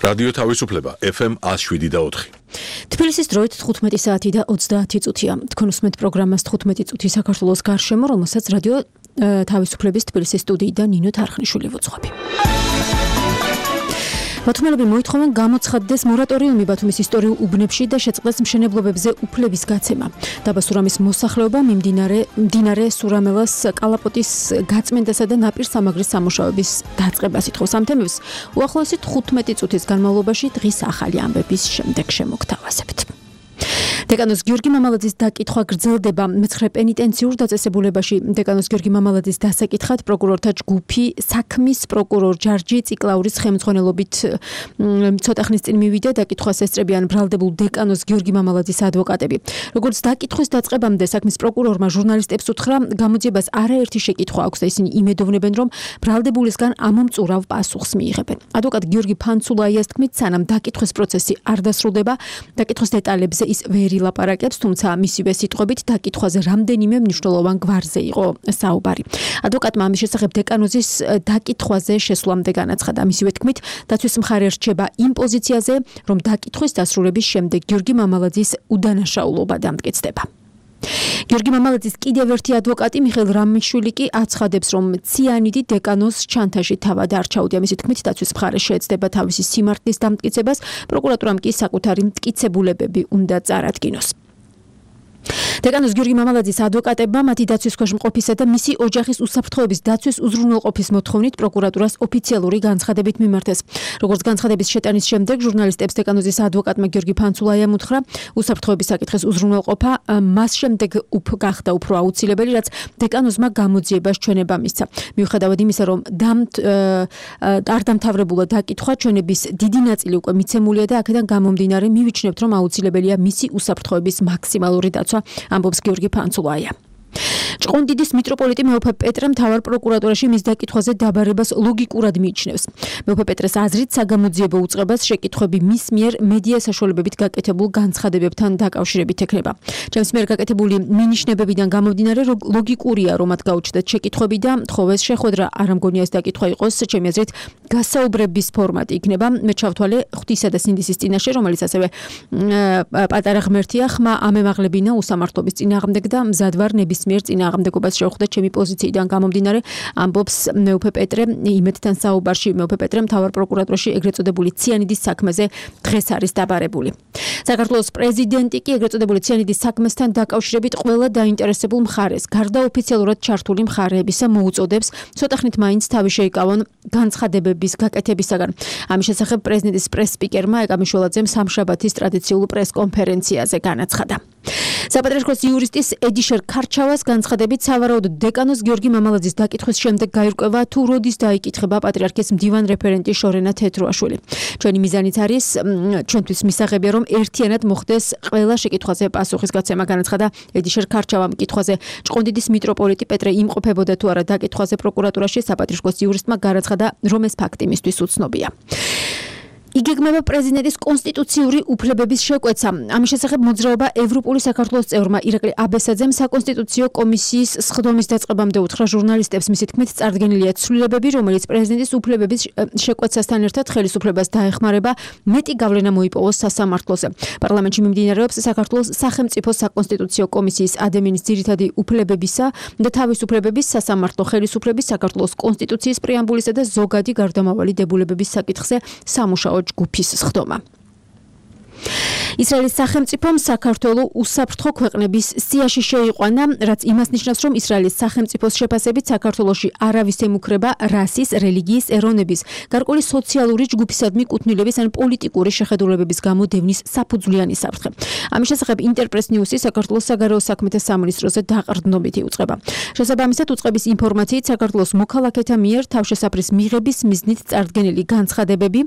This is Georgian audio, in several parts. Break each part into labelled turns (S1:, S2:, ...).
S1: რადიო თავისუფლება FM 107.4.
S2: თბილისის დროით 15 საათი და 30 წუთია. თქვენ უსმენთ პროგრამას 15 წუთი საქართველოს გარშემო, რომელსაც რადიო თავისუფლების თბილისის სტუდიიდან ნინო თარხნიშვილი ვუძღვები. ბათუმელები მოითხოვენ გამოცხადდეს მორატორიუმი ბათუმის ისტორიულ უბნებში და შეწყდეს მშენებლობებზე უფლების გაცემა. დაბა სურამის მოსახლეობა მდინარე სურამელას კალაპოტის გაწმენდასა და ნაპირ სამაგრის სამუშაოების დაწყებას ითხოვს. ამ თემებს უახლოესი 15 წუთის განმავლობაში დღის ახალი ამბების შემდეგ შემოგთავაზებთ. დეკანოს გიორგი მამალაძის დაკითხვა გრძელდება მე-9 პენიტენციურ დაწესებულებაში. დეკანოს გიორგი მამალაძის დასაკითხად პროკურორთა ჯგუფი საქმის პროკურორ ჯარჯი ციკლაურის ხელმძღვანელობით ცოტა ხნის წინ მივიდა. დაკითხვას ესწრებიან ბრალდებულ დეკანოს გიორგი მამალაძის ადვოკატები. როგორც დაკითხვის დაწყებამდე საქმის პროკურორმა ჟურნალისტებს უთხრა, გამოძიებას არაერთი შეკითხვა აქვს და ისინი იმედოვნებენ, რომ ბრალდებულისგან ამომწურავ პასუხს მიიღებენ. ადვოკატ გიორგი ფანცულაიას თქმით, სანამ დაკითხვის პროცესი არ დასრულდება, დაკითხვის დეტალებზე ის ვერ ილაპარაკებს, თუმცა მისივე სიტყვებით დაკითხვაზე რამდენიმე მნიშვნელოვან გვარზე იყო საუბარი. ადვოკატმა ამის შესახებ დეკანოზის დაკითხვაზე შესვლამდე განაცხადა. მისივე თქმით, დაცვის მხარე რჩება იმ პოზიციაზე, რომ დაკითხვის დასრულების შემდეგ გიორგი მამალაძის უდანაშაულობა დამტკიცდება. გიორგი მამალაძის კიდევ ერთი ადვოკატი მიხეილ რამიშვილი კი აცხადებს, რომ ციანიდი დეკანოს ჩანთაში თავად არ ჩაუდია. მისი თქმით, დაცვის მხარე შეეცდება თავისი სიმართლის დამტკიცებას, პროკურატურამ კი საკუთარი მტკიცებულებები უნდა წარადგინოს. დეკანოს გიორგი მამალაძის ადვოკატებმა მათი დაცვის ქვეშ მყოფისა და მისი ოჯახის უსაფრთხოების დაცვის უზრუნველყოფის მოთხოვნით პროკურატურას ოფიციალური განცხადებით მიმართეს. როგორც განცხადების შეტანის შემდეგ ჟურნალისტებს დეკანოზის ადვოკატმა გიორგი ფანცულაიამ უთხრა, უსაფრთხოების საკითხის უზრუნველყოფა მას შემდეგ გახდა უფრო აუცილებელი, რაც დეკანოზმა გამოძიებას ჩვენება მისცა. მიუხედავად იმისა, რომ არ დამთავრებულა დაკითხვა, ჩვენების დიდი ნაწილი უკვე მიცემულია და აქედან გამომდინარე მივიჩნევთ, რომ აუცილებელია მისი უსაფრთხოების მაქსიმალური დაცვა, ამბობს გიორგი ფანცულაია. ჭყონდიდის მიტროპოლიტი მეუფე პეტრე მთავარ პროკურატურაში მის დაკითხვაზე დაბარებას ლოგიკურად მიიჩნევს. მეუფე პეტრეს აზრით, საგამოძიებო უწყებას შეკითხვები მის მიერ მედია საშუალებებით გაკეთებულ განცხადებებთან დაკავშირებით ექნება. ჩემს მიერ გაკეთებული მინიშნებებიდან გამომდინარე, ლოგიკურია, რომ მათ გაუჩნდათ შეკითხვები და თხოვეს შეხვედრა. არ მგონია ეს დაკითხვა იყოს, ჩემი აზრით, გასაუბრების ფორმატი იქნება. მე ჩავთვალე ღვთისა და სინდისის წინაშე, რომელიც ასევე პატარა ღმერთია, ხმა ამემაღლებინა უსამართლობის წინააღმდეგ და მზად ვარ ნებისმიერ წინააღმდეგობას შევხვდეთ ჩემი პოზიციიდან გამომდინარე, ამბობს მეუფე პეტრე იმედთან საუბარში. მეუფე პეტრე მთავარ პროკურატურაში ეგრეთ წოდებული ციანიდის საქმეზე დღეს არის დაბარებული. საქართველოს პრეზიდენტი კი ეგრეთ წოდებული ციანიდის საქმესთან დაკავშირებით ყველა დაინტერესებულ მხარეს, გარდა ოფიციალურად ჩართული მხარეებისა მოუწოდებს ცოტა ხნით მაინც თავი შეიკავონ განცხადებების გაკეთებისაგან. ამის შესახებ პრეზიდენტის პრეს-სპიკერმა ეკამიშველაძემ სამშაბათის ტრადიციულ პრეს-კონფერენციაზე განაცხადა. საპატრიარქოს იურისტის ედიშერ ქარჩავას განცხადებით, სავარაუდოდ დეკანოს გიორგი მამალაძის დაკითხვის შემდეგ გაირკვევა, თუ როდის დაიკითხება პატრიარქის მდივან რეფერენტი შორენა თეთრუაშვილი. ჩვენი მიზანით არის ჩვენთვის მისაღებია, რომ ერთიანად მოხდეს ყველა შეკითხვაზე პასუხის გაცემა, განაცხადა ედიშერ ქარჩავამ. კითხვაზე ჭყონდიდის მიტროპოლიტი პეტრე იმყოფებოდა თუ არა დაკითხვაზე პროკურატურაში, საპატრიარქოს იურისტმა განაცხადა, რომ ეს ფაქტი მისთვის უცნობია. იგეგმება პრეზიდენტის კონსტიტუციური უფლებების შეკვეცა. ამის შესახებ მოძრაობა ევროპული საქართველოს წევრმა ირაკლი აბესაძემ საკონსტიტუციო კომისიის სხდომის დაწყებამდე უთხრა ჟურნალისტებს. მისი თქმით, წარდგენილია ცვლილებები, რომელიც პრეზიდენტის უფლებების შეკვეცასთან ერთად ხელისუფლებას დაეხმარება მეტი გავლენა მოიპოვოს სასამართლოზე. პარლამენტში მიმდინარეობს საქართველოს სახელმწიფო საკონსტიტუციო კომისიის ადამიანის ძირითადი უფლებებისა და თავისუფლებების სასამართლო ხელისუფლების საქართველოს კონსტიტუციის პრეამბულისა და ზოგადი გარდამავალი დებულებების საკითხზე სამუშაო ჯგუფის სხდომა. ისრაელის სახელმწიფომ საქართველოს უსაფრთხო ქვეყნების სიაში შეიყვანა, რაც იმას ნიშნავს, რომ ისრაელის სახელმწიფოს შეფასებით საქართველოში არავის ემუქრება რასის, რელიგიის, ეროვნების, გარკვეული სოციალური ჯგუფისადმი კუთვნილების ან პოლიტიკური შეხედულებების გამო დევნის საფუძვლიანი საფრთხე. ამის შესახებ ინტერპრეს ნიუსი საქართველოს საგარეო საქმეთა სამინისტროზე დაყრდნობით იუწყება. შესაბამისად, უწყების ინფორმაციით საქართველოს მოქალაქეთა მიერ თავშესაფრის მიღების მიზნით წარდგენილი განცხადებები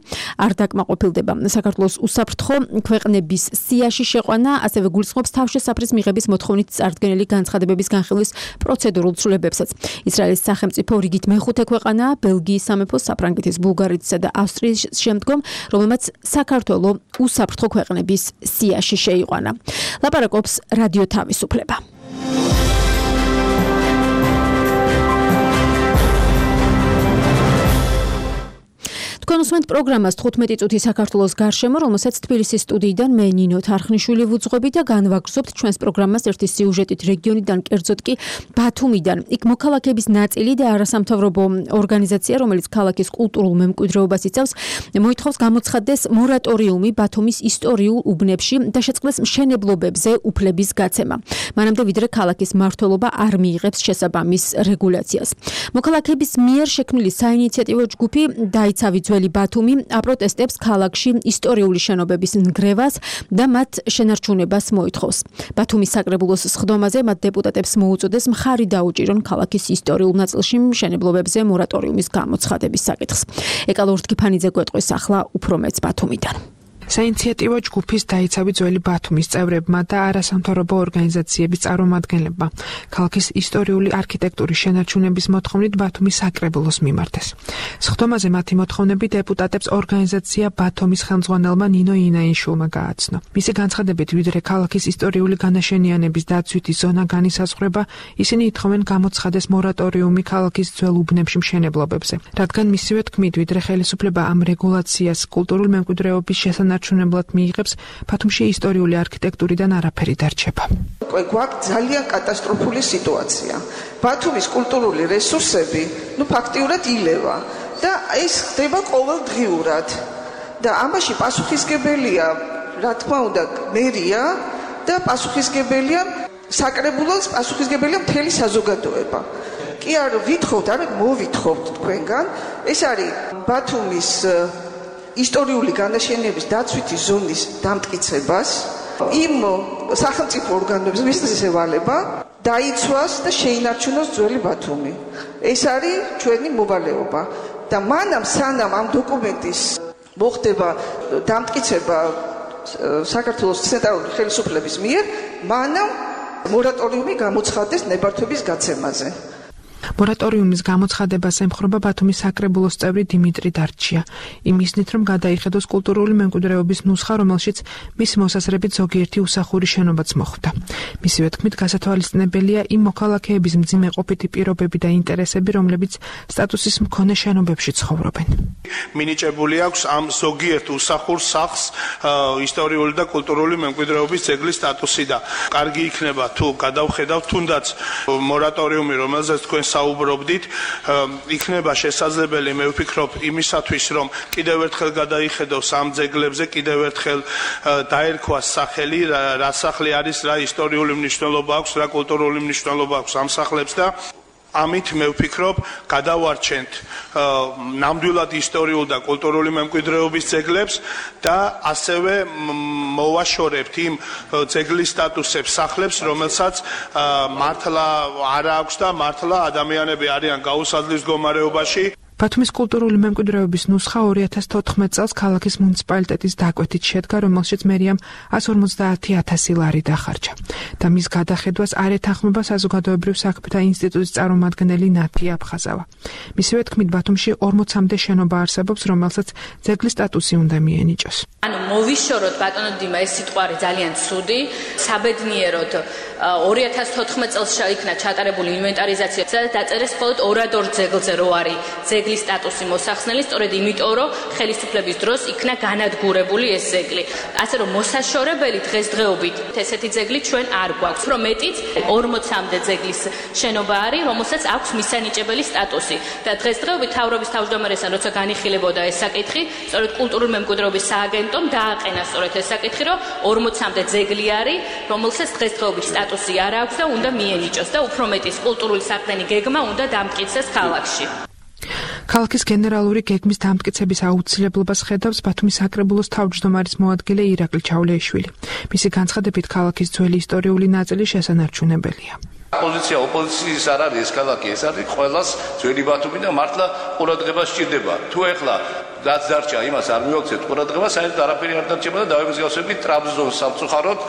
S2: არ დაკმაყოფილდება. საქართველოს უსაფრთხო ქვეყნების სიაში შეყვანა ასევე გულისხმობს თავშესაფრის მიღების მოთხოვნით წარდგენილი განცხადებების განხილვის პროცედურულ ცვლილებებსაც. ისრაელის სახელმწიფო რიგით მეხუთე ქვეყანაა ბელგიის სამეფო, საფრანგეთის, ბულგარეთისა და ავსტრიის შემდგომ, რომელმაც საქართველოს უსაფრთხო ქვეყნების სიაში შეიყვანა. ლაპარაკობს რადიო თავისუფლება. თქვენ მოგესმენთ პროგრამას 15 წუთი საქართველოს გარშემო, რომელსაც თბილისის სტუდიიდან მე ნინო თარხნიშვილი ვუძღვები და განვაგრძობთ ჩვენს პროგრამას ერთი სიუჟეტით რეგიონიდან, კერძოდ კი ბათუმიდან. იქ მოქალაქეების ნაწილი და არასამთავრობო ორგანიზაცია, რომელიც ქალაქის კულტურულ მემკვიდრეობას იცავს, მოითხოვს გამოცხადდეს მორატორიუმი ბათუმის ისტორიულ უბნებში და შეწყდეს მშენებლობებზე უფლების გაცემა. მანამდე ვიდრე ქალაქის მმართველობა არ მიიღებს შესაბამის რეგულაციას. მოქალაქეების მიერ შექმნილი საინიციატივო ჯგუფი დაიცავი ძველი ბათუმი აპროტესტებს ქალაქში ისტორიული შენობების ნგრევას და მათ შენარჩუნებას მოითხოვს. ბათუმის საკრებულოს სხდომაზე მათ დეპუტატებს მოუწოდეს მხარი დაუჭირონ ქალაქის ისტორიულ ნაწილში მშენებლობებზე მორატორიუმის გამოცხადების საკითხს. ეკალო ურთქიფანიძე გვეტყვის ახლა უფრო მეც ბათუმიდან.
S3: საინიციატივო ჯგუფის დაიცავი ძველი ბათუმის წევრებმა და არასამთავრობო ორგანიზაციების წარმომადგენლებმა ქალაქის ისტორიული არქიტექტურის შენარჩუნების მოთხოვნით ბათუმის საკრებულოს მიმართეს. სხდომაზე მათი მოთხოვნები დეპუტატებს ორგანიზაცია ბათუმის ხელმძღვანელმა ნინო ინაიშვილმა გააცნო. მისი განცხადებით, ვიდრე ქალაქის ისტორიული განაშენიანების დაცვითი ზონა განისაზღვრება, ისინი ითხოვენ გამოცხადეს მორატორიუმი ქალაქის ძველ უბნებში მშენებლობებზე, რადგან მისივე თქმით, ვიდრე ხელისუფლება ამ რეგულაციას კულტურულ მემკვიდრეობის შესანარჩუნებლად მიიღებს, ბათუმში ისტორიული არქიტექტურიდან არაფერი დარჩება.
S4: გვაქვს ძალიან კატასტროფული სიტუაცია. ბათუმის კულტურული რესურსები, ფაქტიურად ილევა და ეს ხდება ყოველდღიურად. და ამაში პასუხისგებელია, რა თქმა უნდა, მერია და პასუხისგებელია საკრებულოს, პასუხისგებელია მთელი საზოგადოება. კი არ ვითხოვთ, არამედ მოვითხოვთ თქვენგან, ეს არის ბათუმის ისტორიული განაშენების დაცვითი ზონის დამტკიცებას, იმ სახელმწიფო ორგანოებს მისცეს ევალება დაიცვას და შეინარჩუნოს ძველი ბათუმი. ეს არის ჩვენი მოვალეობა და მანამ სანამ ამ დოკუმენტის მოხდება დამტკიცება საქართველოს ცენტრალური ხელისუფლების მიერ, მანამ მორატორიუმი გამოცხადდეს ნებართვების გაცემაზე.
S3: მორატორიუმის გამოცხადებას ემხრობა ბათუმის საკრებულოს წევრი დიმიტრი დარჩია. იმისნით, რომ გადაიხედოს კულტურული მემკვიდრეობის ნუსხა, რომელშიც მისი მოსაზრებით ზოგიერთი უსახური შენობაც მოხვდა. მისივე თქმით, გასათვალისწინებელია იმ მოქალაქეების მძიმე ყოფითი პირობები და ინტერესები, რომლებიც სტატუსის მქონე შენობებში ცხოვრობენ.
S5: მინიჭებული აქვს ამ ზოგიერთ უსახურ სახლს ისტორიული და კულტურული მემკვიდრეობის ძეგლის სტატუსი და კარგი იქნება თუ გადავხედავთ თუნდაც მორატორიუმი, რომელზეც თქვენ საუბრობდით, იქნება შესაძლებელი, მე ვფიქრობ, იმისათვის, რომ კიდევ ერთხელ გადაიხედოს ამ ძეგლებზე, კიდევ ერთხელ დაერქვას სახელი, რა სახლი არის, რა ისტორიული მნიშვნელობა აქვს, რა კულტურული მნიშვნელობა აქვს ამ სახლებს და ამით მე ვფიქრობ, გადავარჩენთ ნამდვილად ისტორიულ და კულტურული მემკვიდრეობის ძეგლებს და ასევე მოვაშორებთ იმ ძეგლის სტატუსებს სახლებს, რომელსაც მართლა არ აქვს და მართლა ადამიანები არიან გაუსაძლის მდგომარეობაში.
S3: ბათუმის კულტურული მემკვიდრეობის ნუსხა 2014 წელს ქალაქის მუნიციპალიტეტის დაკვეთით შედგა, რომელშიც მერიამ 150,000 ლარი დახარჯა და მის გადახედვას არ ეთანხმება საზოგადოებრივ საქმეთა ინსტიტუტის წარმომადგენელი ნათი აფხაზავა. მისივე თქმით, ბათუმში 40-მდე შენობა არსებობს, რომელსაც ძეგლის სტატუსი უნდა მიენიჭოს.
S6: მოვიშოროთ ბატონო დიმა, ეს სიტყვა არის ძალიან ცუდი, საბედნიეროდ 2014 წელს იქნა ჩატარებული ინვენტარიზაცია, სადაც დაწერეს მხოლოდ ორადორ ძეგლზე რო არის ძეგლის სტატუსი მოსახსნელი, სწორედ იმიტომ, რომ ხელისუფლების დროს იქნა განადგურებული ეს ძეგლი. ასე რომ მოსაშორებელი დღესდღეობით ესეთი ძეგლი ჩვენ არ გვაქვს. უფრო მეტიც 40-მდე ძეგლის შენობა არის, რომელსაც აქვს მისანიჭებელი სტატუსი. და დღესდღეობით თავრობის თავმჯდომარესთან როცა განიხილებოდა ეს საკითხი, სწორედ კულტურული მემკვიდრეობის სააგენტომ დააყენა სწორედ ეს საკითხი, რომ 40-მდე ძეგლი არის, რომელსაც დღესდღეობით სტატუსი არ აქვს და უნდა მიენიჭოს და უფრო მეტის კულტურული საყრდენი გეგმა უნდა დამტკიცდეს ქალაქში.
S3: ქალაქის გენერალური გეგმის დამტკიცების აუცილებლობას ხედავს ბათუმის საკრებულოს თავმჯდომარის მოადგილე ირაკლი ჩავლეიშვილი. მისი განცხადებით, ქალაქის ძველი ისტორიული ნაწილი შესანარჩუნებელია.
S7: ოპოზიცია ოპოზიციის არ არის ეს ქალაქი, ეს არის ყველას ძველი ბათუმი და მართლა ყურადღება სჭირდება. თუ ეხლა რაც დარჩა, იმას არ მივაქცევთ ყურადღებას, საერთოდ არაფერი არ დარჩება და დავემსგავსებით ტრაბზონს სამწუხაროდ.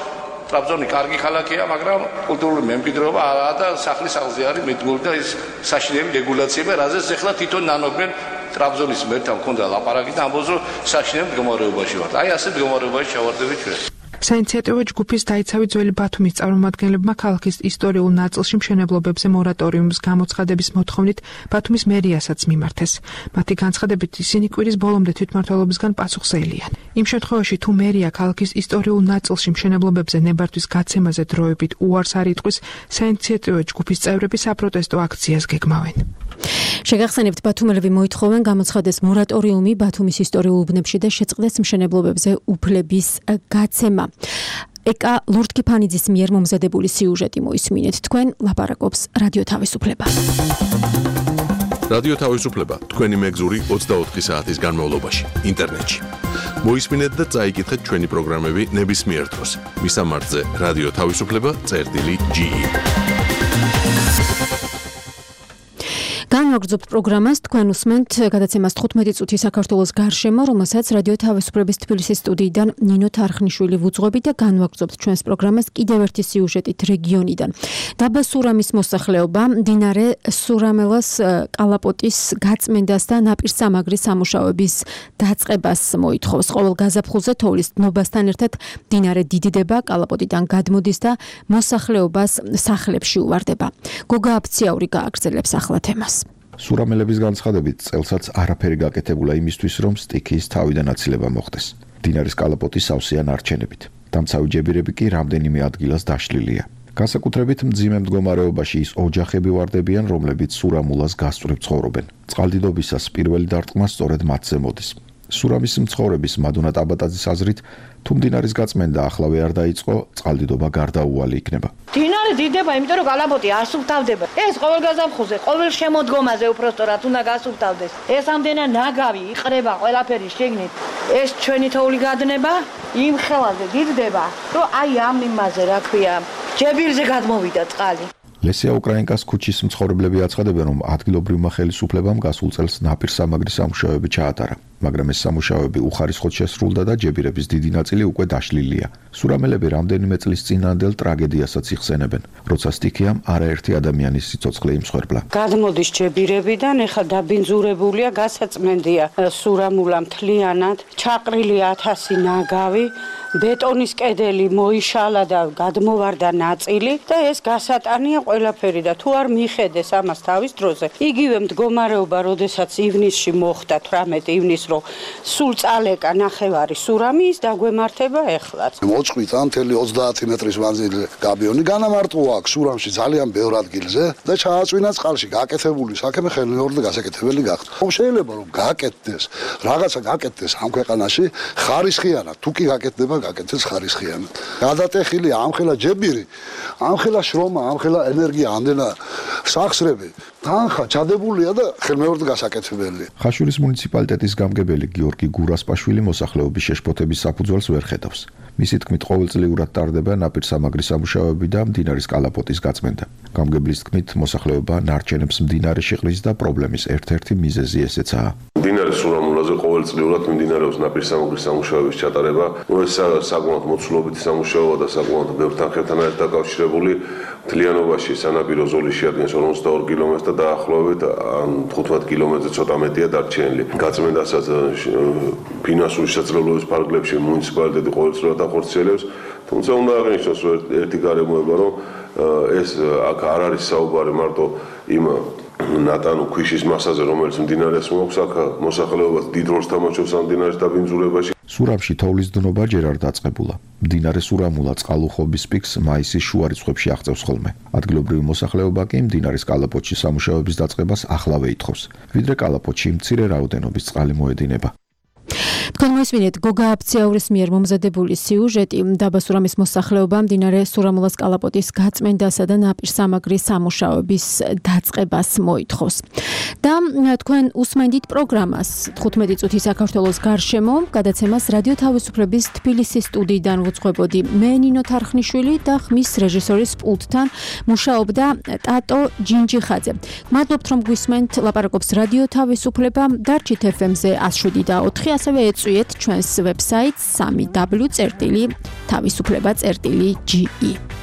S7: ტრაბზონი კარგი ქალაქია, მაგრამ კულტურული მემკვიდრეობა არაა და სახლის აღზე არის მიდგმული და ის საშინელი რეგულაციები, რაზეც ეხლა თვითონ ნანობენ ტრაბზონის მერთან მქონდა ლაპარაკი და ამბობს, რომ საშინელ მდგომარეობაში ვართ. აი ასე მდგომარეობაში ჩავარდებით ჩვენ.
S3: საინიციატივო ჯგუფის დაიცავი ძველი ბათუმის წარმომადგენლებმა ქალაქის ისტორიულ ნაწილში მშენებლობებზე მორატორიუმის გამოცხადების მოთხოვნით ბათუმის მერიასაც მიმართეს. მათი განცხადებით ისინი კვირის ბოლომდე თვითმმართველობისგან პასუხზეელიან. იმ შემთხვევაში თუ მერია ქალაქის ისტორიულ ნაწილში მშენებლობებზე ნებართვის გაცემაზე დროებით უარს არ იტყვის, საინიციატივო ჯგუფის წევრები საპროტესტო აქციას გეგმავენ.
S2: შეგახსენებთ, ბათუმელები მოითხოვენ გამოცხადეს მორატორიუმი ბათუმის ისტორიულ უბნებში და შეწყდეს მშენებლობებზე უფლების გაცემა. ეკა ლორდ-კიფანიძის მიერ მომზადებული სიუჟეტი მოისმინეთ. თქვენ ლაპარაკობს რადიო თავისუფლება.
S1: რადიო თავისუფლება თქვენი მეგზური 24 საათის განმავლობაში ინტერნეტში. მოისმინეთ და წაიკითხეთ ჩვენი პროგრამები ნებისმიერ დროს. მისამართზე რადიო თავისუფლება.ge. განვაგრძობთ პროგრამას, თქვენ უსმენთ გადაცემას 15 წუთი საქართველოს გარშემო, რომელსაც რადიო თავისუფლების თბილისის სტუდიიდან ნინო თარხნიშვილი ვუძღვებით და განვაგრძობთ ჩვენს პროგრამას კიდევ ერთი სიუჟეტით რეგიონიდან. დაბა სურამის მოსახლეობა მდინარე სურამელას კალაპოტის გაწმენდას და ნაპირსამაგრის სამუშაოების დაწყებას მოითხოვს. ყოველ გაზაფხულზე თოვლის დნობასთან ერთად მდინარე დიდდება, კალაპოტიდან გადმოდის და მოსახლეობას სახლებში უვარდება. გოგა აფციაური გააგრძელებს ახლა თემას.
S8: სურამელების განცხადებით წელსაც არაფერი გაკეთებულა იმისთვის, რომ სტიქიის თავიდან აცილება მოხდეს. მდინარის კალაპოტი სავსეა ნარჩენებით. დამცავი ჯებირები კი რამდენიმე ადგილას დაშლილია. განსაკუთრებით მძიმე მდგომარეობაში ის ოჯახები ვარდებიან, რომლებიც სურამულას გასწვრივ ცხოვრობენ. წყალდიდობისას პირველი დარტყმა სწორედ მათზე მოდის. სურამის მცხოვრების მადუნა ტაბატაძის აზრით, თუ მდინარის გაწმენდა ახლავე არ დაიწყო, წყალდიდობა გარდაუვალი იქნება.
S9: მდინარე დიდება, იმიტომ რომ კალაპოტი არ სუფთავდება. ეს ყოველ გაზაფხულზე, ყოველ შემოდგომაზე უпроსტორად უნდა გასუფთავდეს. ეს ამდენა ნაგავი იყრება ყველაფერი შეგნით. ეს ჩვენი თოვლი გადნება, იმ ხელაზე დიდდება, რომ აი ამ იმაზე, რა ქვია, ჯებირზე გადმოვიდა წყალი.
S8: ლესია უკრაინკას ქუჩის მცხოვრებლები აცხადებენ, რომ ადგილობრივმა ხელისუფლებამ გასულ წელს ნაპირსამაგრის სამუშაოები ჩაატარა, მაგრამ ეს სამუშაოები უხარისხოდ შესრულდა და ჯებირების დიდი ნაწილი უკვე დაშლილია. სურამელები რამდენიმე წლის წინანდელ ტრაგედიასაც იხსენებენ, როცა სტიქიამ არაერთი ადამიანის სიცოცხლე იმსხვერპლა.
S10: გადმოდის ჯებირებიდან, ეხლა დაბინძურებულია, გასაწმენდია სურამულა მთლიანად, ჩაყრილი 1000 ნაგავი, ბეტონის კედელი მოიშალა და გადმოვარდა ნაწილი და ეს გასატანია ყველაფერი და თუ არ მიხედეს ამას თავის დროზე, იგივე მდგომარეობა, როდესაც ივნისში მოხდა 18 ივნისს, რომ სულ წალეკა ნახევარი სურამი, ის დაგვემართება ეხლაც.
S11: მოწყვიტა მთელი 30 მეტრის მანძილი გაბიონი, განამარტყო აქ სურამში ძალიან ბევრ ადგილზე და ჩააწვინა წყალში. გაკეთებული საქმე ხელმეორედ გასაკეთებელი გახდა. შეიძლება რომ გაკეთდეს, რაღაცა გაკეთდეს ამ ქვეყანაში ხარისხიანად, თუ კი გაკეთდება გაკეთდეს ხარისხიანად. გადატეხილი ამხელა ჯებირი, ამხელა შრომა, ამხელა ენერგია, ამდენა სახსრები, თანხა ჩადებულია და ხელმეორედ გასაკეთებელია.
S8: ხაშურის მუნიციპალიტეტის გამგებელი გიორგი გურასპაშვილი მოსახლეობის შეშფოთების საფუძველს ვერ ხედავს. მისი თქმით, ყოველწლიურად ტარდება ნაპირსამაგრის სამუშაოები და მდინარის კალაპოტის გაწმენდა. გამგებლის თქმით, მოსახლეობა ნარჩენებს მდინარეში ყრის და პრობლემის ერთ-ერთი მიზეზი ესეცაა.
S12: მდინარის სურამულაზე ყოველწლიურად მიმდინარეობს ნაპირსამაგრის სამუშაოების ჩატარება. ეს საკმაოდ მოცულობითი სამუშაოა და საკმაოდ ბევრ თანხებთან არის დაკავშირებული. მთლიანობაში სანაპირო ზოლი შეადგენს 42 კილომეტრს და დაახლოებით 15 კილომეტრზე ცოტა მეტია დარჩენილი. გაწმენდასაც ფინანსური შესაძლებლობის ფარგლებში მუნიციპალიტეტი ყოველწლიურად ახორციელებს, თუმცა უნდა აღინიშნოს ერთი გარემოება, რომ ეს აქ არ არის საუბარი მარტო იმ ნატანო ქვიშის მასაზე, რომელიც მდინარეს მოაქვს, აქ მოსახლეობას დიდ როლს თამაშობს ამ მდინარის დაბინძურებაში.
S8: სურამში თოვლის დნობა ჯერ არ დაწყებულა. მდინარე სურამულა წყალუხობის პიკს მაისის შუა რიცხვებში აღწევს ხოლმე. ადგილობრივი მოსახლეობა კი მდინარის კალაპოტში სამუშაოების დაწყებას ახლავე ითხოვს. ვიდრე კალაპოტში მცირე რაოდენობის წყალი მოედინება.
S2: თქვენ მოისმინეთ გოგა აფციაურის მიერ მომზადებული სიუჟეტი. დაბა სურამის მოსახლეობა მდინარე სურამულას კალაპოტის გაწმენდასა და ნაპირსამაგრის სამუშაოების დაწყებას მოითხოვს. და თქვენ უსმენდით პროგრამას 15 წუთი საქართველოს გარშემო, გადაცემას რადიო თავისუფლების თბილისის სტუდიიდან ვუძღვებოდი მე ნინო თარხნიშვილი და ხმის რეჟისორის პულტთან მუშაობდა ტატო ჯინჯიხაძე. მადლობთ რომ გვისმენთ, ლაპარაკობს რადიო თავისუფლება, დარჩით FM-ზე 107.4, ასევე ეწვიეთ ჩვენს ვებსაიტს www.თავისუფლება.ge.